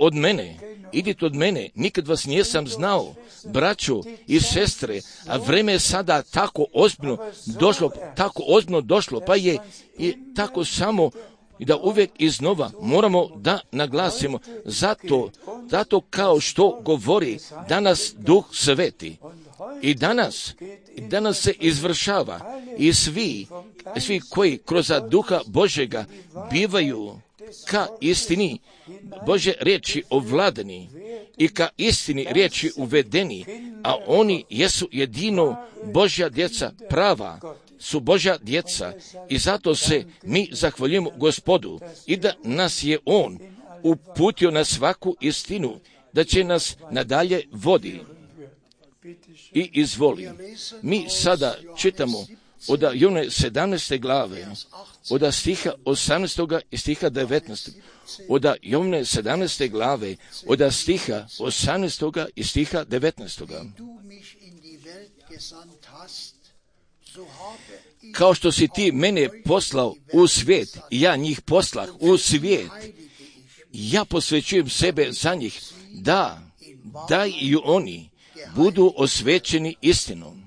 od mene, nikad vas nisam znao, braćo i sestre, a vreme je sada tako ozbiljno došlo, pa je i tako samo i da uvijek iznova moramo da naglasimo, zato kao što govori danas Duh Sveti. I danas se izvršava i svi koji kroz Duha Božjega bivaju ka istini Božje riječi ovladani i ka istini riječi uvedeni, a oni jesu jedino Božja djeca, prava su Božja djeca, i zato se mi zahvaljujemo Gospodu i da nas je On uputio na svaku istinu, da će nas nadalje vodi. I izvoli. Mi sada čitamo od Jovne 17. glave, od stiha 18. i stiha 19. Od Jovne 17. glave, od stiha 18. i stiha 19. Kao što si ti mene poslao u svijet, ja njih poslah u svijet, ja posvećujem sebe za njih, da i oni budu osvećeni istinom.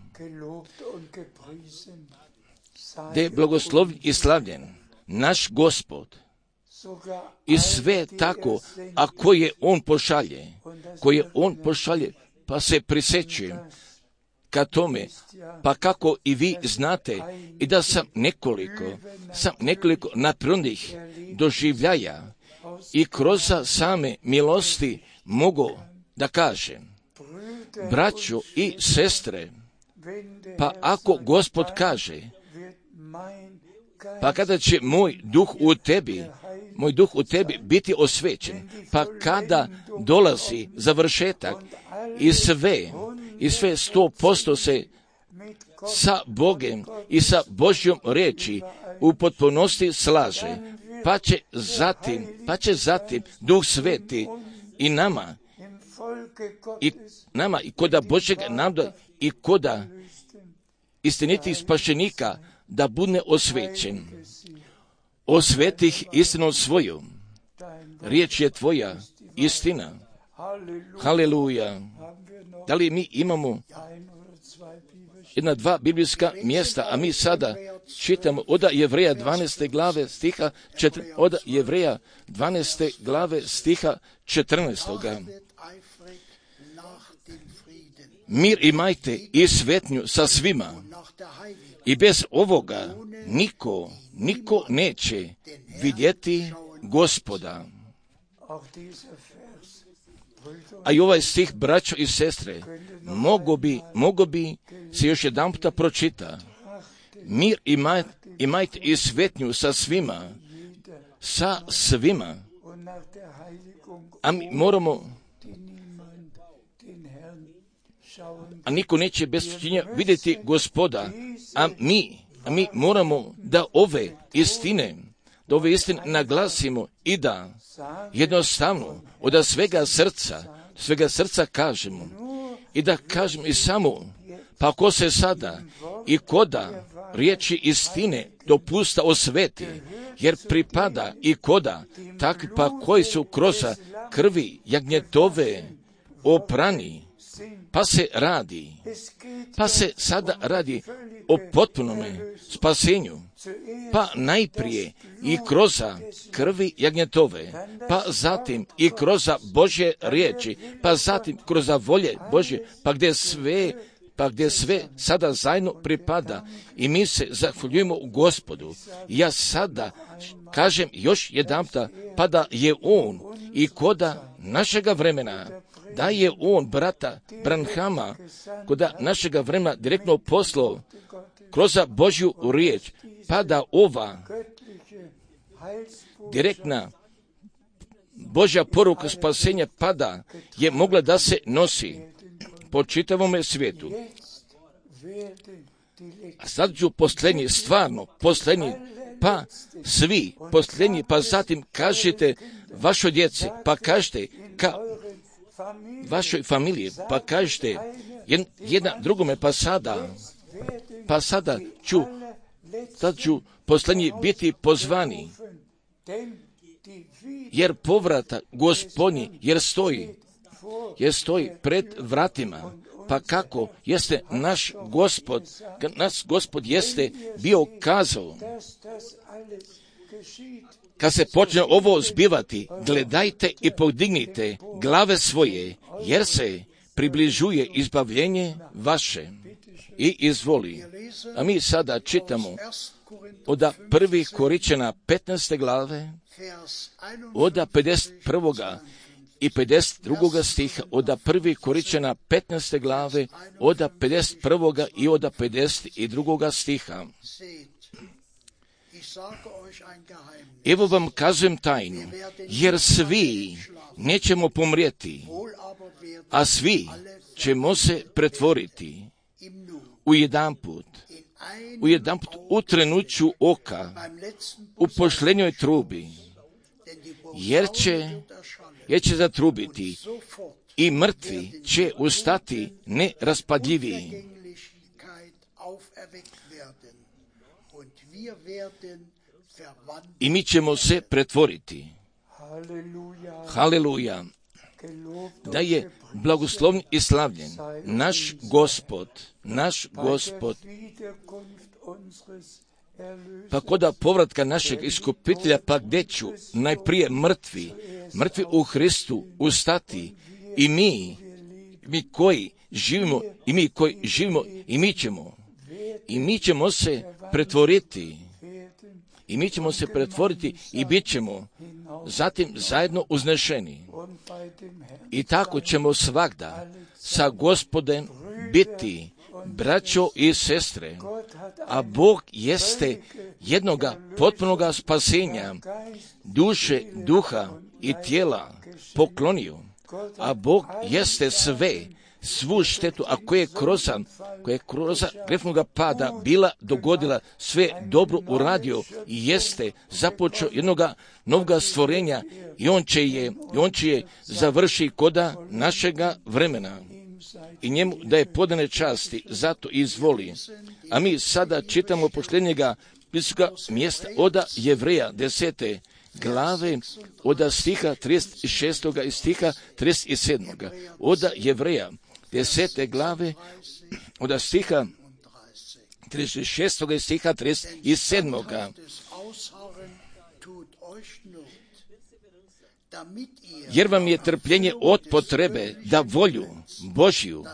Da je blagoslovljen i slavljen naš Gospod i sve tako, a koje On pošalje, pa se prisjećujem ka tome, pa kako i vi znate, i da sam nekoliko naprednih doživljaja i kroz same milosti mogu da kažem, braćo i sestre, pa ako Gospod kaže, pa kada će moj duh u tebi biti osvećen, pa kada dolazi završetak i sve 100% se sa Bogem i sa Božjom riječi u potpunosti slaže, pa će zatim Duh Sveti i nama i koda Božjeg naroda i koda istinitih spašenika da bude osvećen. Osveti ih istinom svoju. Riječ je tvoja istina. Haleluja. Da li mi imamo jedna, dva biblijska mjesta, a mi sada čitamo od Jevreja 12. glave stiha od Jevreja 12. glave stiha 14. Mir imajte i svetnju sa svima, i bez ovoga niko neće vidjeti Gospoda. A i ovaj stih, braćo i sestre, mogo bi se još jedan puta pročita. Mir imajte i svetnju sa svima. A mi moramo, a niko neće bez činjenja vidjeti Gospoda, a mi moramo da ove istine naglasimo i da jednostavno od svega srca kažemo i da kažemo i samo, pa ko se sada i koda riječi istine dopusta osveti, jer pripada i koda takvi pa koji su kroz krvi jagnjetove oprani, pa se sada radi o potpunome spasenju, pa najprije i kroz krvi jagnjetove, pa zatim i kroz Božje riječi, pa zatim kroz volje Božje, pa gdje sve sada zajedno pripada i mi se zahvaljujemo Gospodu. Ja sada kažem još jedanputa, pa da je On i koda našega vremena, da je On brata Branhama koda našega vremena direktno poslao kroz Božju riječ, pa da ova direktna Božja poruka spasenja pada je mogla da se nosi po čitavome svijetu. A sad ću posljednji, pa svi posljednji, pa zatim kažete vašoj djeci, pa kažete vašoj familiji, pa kažete jedna drugome, pa sada ću posljednji biti pozvani, jer povrata Gospodnji, jer stoji pred vratima. Pa kako jeste naš Gospod jeste bio kazao, kad se počne ovo zbivati, gledajte i podignite glave svoje, jer se približuje izbavljenje vaše. I izvoli. A mi sada čitamo od 1. Korinćana 15. glave, od 51. i 52. stiha, od 1. Korinćana 15. glave, od 51. i od 52. stiha. Evo vam kazujem tajnu, jer svi nećemo pomrijeti, a svi ćemo se pretvoriti u jedanput, u trenuću oka, u pošlenjoj trubi, jer će zatrubiti i mrtvi će ustati neraspadljiviji. I mi ćemo se pretvoriti. Haleluja. Da je blagoslovljen i slavljen naš Gospod, pa koda povratka našeg iskupitelja, pa gdje ću najprije mrtvi u Hristu ustati i mi koji živimo, i mi ćemo se pretvoriti. I mi ćemo se pretvoriti i bit ćemo zatim zajedno uznešeni. I tako ćemo svagda sa Gospodem biti, braćo i sestre, a Bog jeste jednoga potpunoga spasenja, duše, duha i tijela poklonio, a Bog jeste svu štetu, a koja je kroz grešnoga pada bila dogodila, sve dobro uradio i jeste započeo jednoga novoga stvorenja i on će je završi koda našega vremena. i njemu daje podane časti, zato izvoli. A mi sada čitamo posljednjega biblijskoga mjesta od Jevreja 10. glave, od stiha 36. i stiha 37. Od Jevreja 10. glave, od stiha 36. i stiha 37. Jer vam je trpljenje od potrebe da volju Božju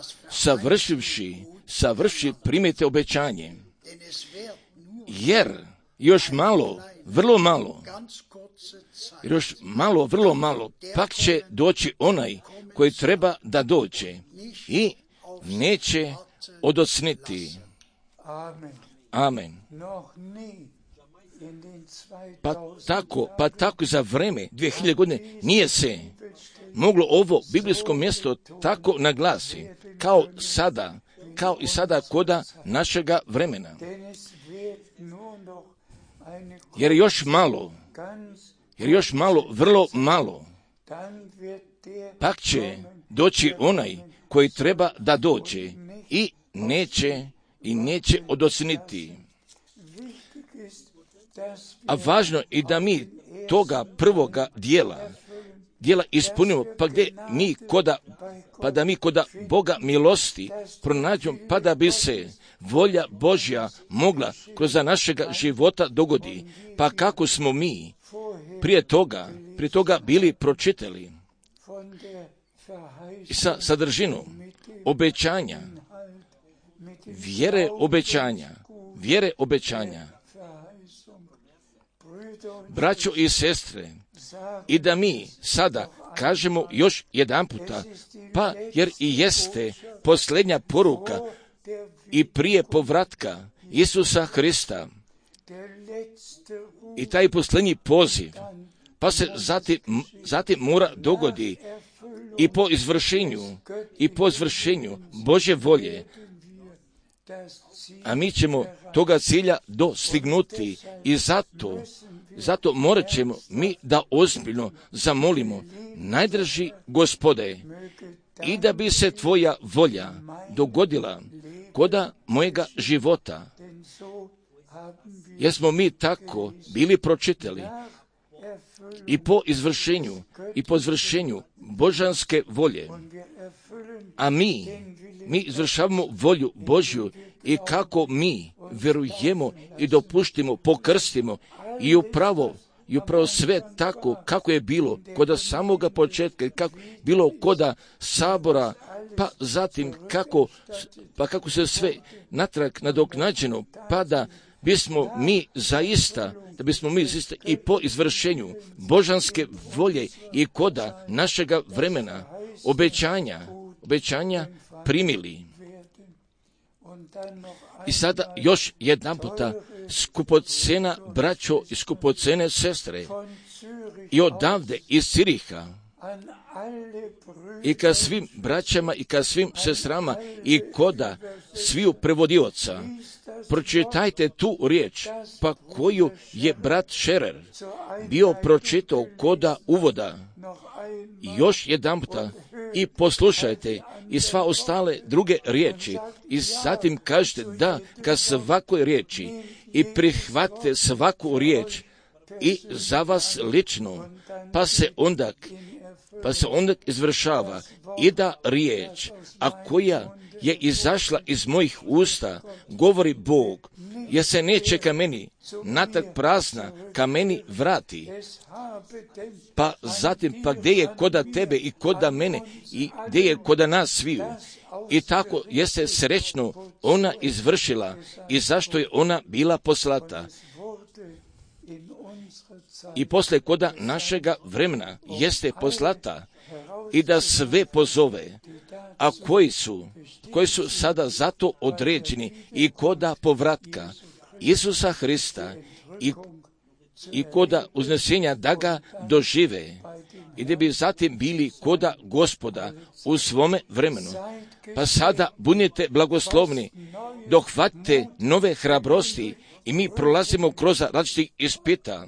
savrši primite obećanje. Jer još malo, vrlo malo, pak će doći onaj koji treba da dođe i neće odocniti. Amen. Pa tako za vreme 2000 godine nije se moglo ovo biblijsko mjesto tako naglasi, kao i sada koda našega vremena. Jer još malo, vrlo malo, pak će doći onaj koji treba da dođe i neće odocniti. A važno i da mi toga prvoga dijela ispunimo, pa da mi koda Boga milosti pronađemo, pa da bi se volja Božja mogla kroz našega života dogodi. Pa kako smo mi prije toga bili pročitali i sa sadržinom obećanja, vjere obećanja, braćo i sestre, i da mi sada kažemo još jedanputa, pa jer i jeste posljednja poruka i prije povratka Isusa Hrista i taj posljednji poziv, pa se zatim mora dogodi i po izvršenju Božje volje, a mi ćemo toga cilja dostignuti i zato morat ćemo mi da ozbiljno zamolimo, najdraži Gospode, i da bi se tvoja volja dogodila koda mojega života, jer smo mi tako bili pročitali i po izvršenju božanske volje, a mi izvršavamo volju Božju i kako mi vjerujemo i dopuštimo, pokrstimo i upravo sve tako kako je bilo koda samoga početka i kako bilo koda sabora, pa zatim kako se sve natrag nadoknađeno, pa da bismo mi zaista i po izvršenju božanske volje i koda našega vremena obećanja primili. I sada još jedan puta, skupocena braćo i skupocene sestre, i odavde iz Ciriha, i ka svim braćama i ka svim sestrama i koda sviju prevodioca, pročitajte tu riječ, pa koju je brat Šerer bio pročitao koda uvoda. Još jedan puta i poslušajte i sva ostale druge riječi i zatim kažete da ka svakoj riječi i prihvatite svaku riječ i za vas lično, pa se onda izvršava i da riječ, a koja je izašla iz mojih usta, govori Bog, jer se neće ka meni natrag prazna, ka meni vrati. Pa zatim, pa gdje je koda tebe i koda mene i gdje je koda nas sviju. I tako jeste srećno ona izvršila i zašto je ona bila poslata. I posle koda našega vremena jeste poslata i da sve pozove, a koji su sada zato određeni i koda povratka Isusa Hrista i koda uznesenja da ga dožive i da bi zatim bili koda Gospoda u svome vremenu. Pa sada budite blagoslovni, dohvatite nove hrabrosti i mi prolazimo kroz različitih ispita.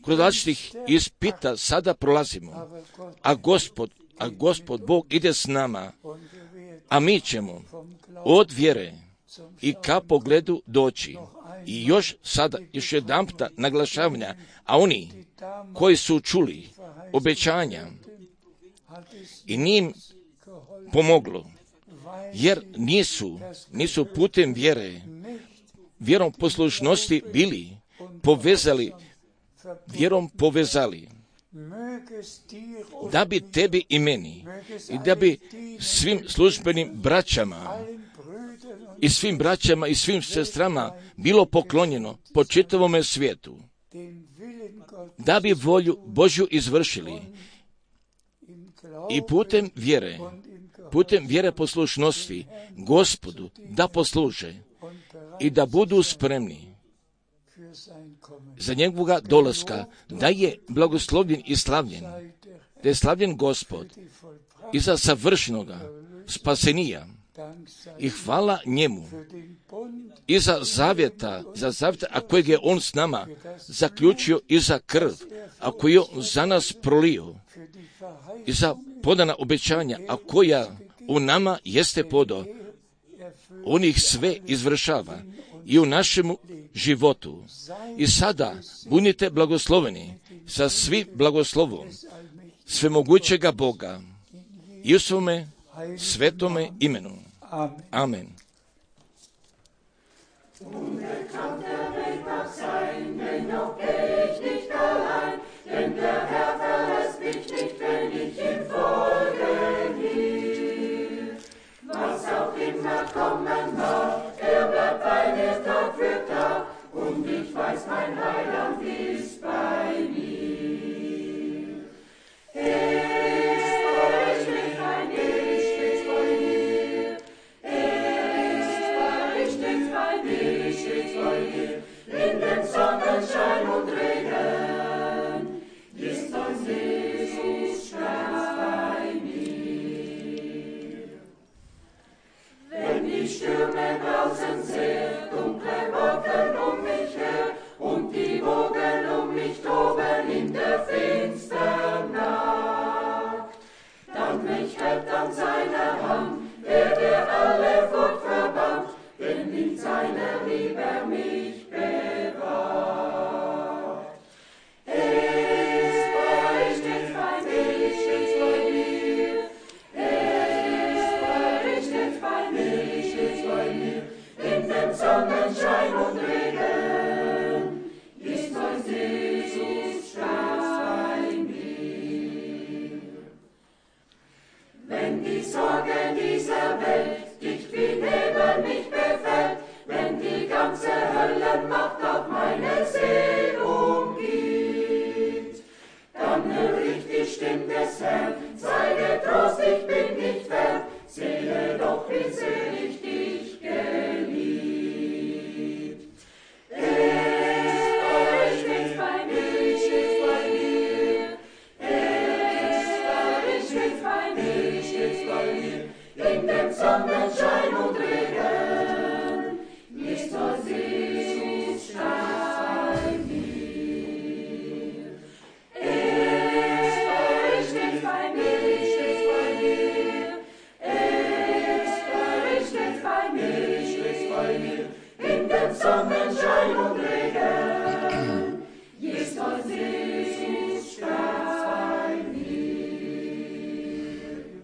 Kroz različitih ispita sada prolazimo, a Gospod a Gospod Bog ide s nama, a mi ćemo od vjere i ka pogledu doći. I još jedanputa naglašavanja, a oni koji su čuli obećanja i njim pomoglo, jer nisu putem vjerom poslušnosti bili vjerom povezali, da bi tebi i meni i da bi svim službenim braćama i svim sestrama bilo poklonjeno po čitavome svijetu, da bi volju Božju izvršili i putem vjere poslušnosti Gospodu da posluže i da budu spremni za njegovoga dolaska, da je blagoslovljen i slavljen, da je slavljen Gospod i za savršenoga spasenija. I hvala njemu i za zavjeta, a kojeg je on s nama zaključio, i za krv, a koju je on za nas prolio, i za podana obećanja, a koja u nama jeste podo. On ih sve izvršava i u našemu životu. I sada budite blagosloveni sa svim blagoslovom svemogućega Boga i u svome svetome imenu. Amen. Unbekannt der Weg mag sein, dennoch geh ich nicht allein, denn der Herr verlässt mich nicht, wenn ich ihm folgen will. Was auch immer kommen mag, bleibt bei mir Tag für Tag, und ich weiß, mein Heiland ist bei mir. In dem Sonnenschein und Regen ist uns Jesus ganz bei mir. Wenn die Stürme draußen sehr dunkle Wolken mich her und die Wogen mich toben in der finstern Nacht, dann mich hält an seiner Hand, der alle Furcht verbannt, denn in seiner Liebe mich bewahrt. Ist stets bei mir, stets bei mir. Ist stets bei mir, in dem Sonnenschein und Regen ist mein Jesus ganz bei mir. Wenn die Sorge dieser Welt dicht wie Nebel mich befällt, wenn die ganze Höllenmacht auf meine Seele umgibt, dann hör ich die Stimme des Herrn, sei getrost, ich bin nicht fern, sehe doch, wie selig